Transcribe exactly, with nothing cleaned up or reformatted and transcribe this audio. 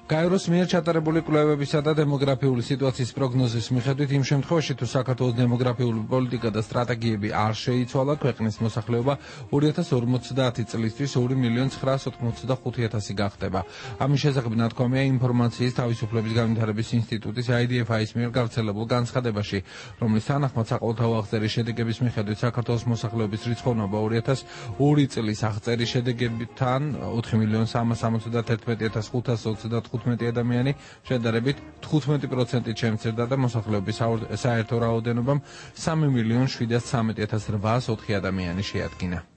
გაეროს მიერ ჩატარებული კვლევებისა და დემოგრაფიული სიტუაციის პროგნოზის მიხედვით იმ შემთხვევაში თუ საქართველოს დემოგრაფიული პოლიტიკა და სტრატეგიები არ შეიცვალა, ქვეყნის მოსახლეობა ორი ათას ორმოცდაათი წლისთვის ორი მილიონი ცხრაას ოთხმოცდახუთი ათასი გახდება. ამის შესახებ ნათქვამია ინფორმაციის თავისუფლების განვითარების ინსტიტუტის I D F I-ის მიერ გავრცელებულ განცხადებაში, რომლის თანახმად საყოველთაო აღწერის შედეგების მიხედვით საქართველოს მოსახლეობის რიცხოვნობა ორი ათას ორი წლის აღწერის შედეგებთან ოთხი მილიონი სამას ორმოცდათერთმეტი ათას ხუთას ოცდათხუთმეტი ადამიანი შედარებით თხუთმეტი პროცენტით შემცირდა და მოსახლეობის საერთო რაოდენობამ სამი მილიონი შვიდას ცხრამეტი ათას რვაას ოთხი ადამიანი შეადგინა.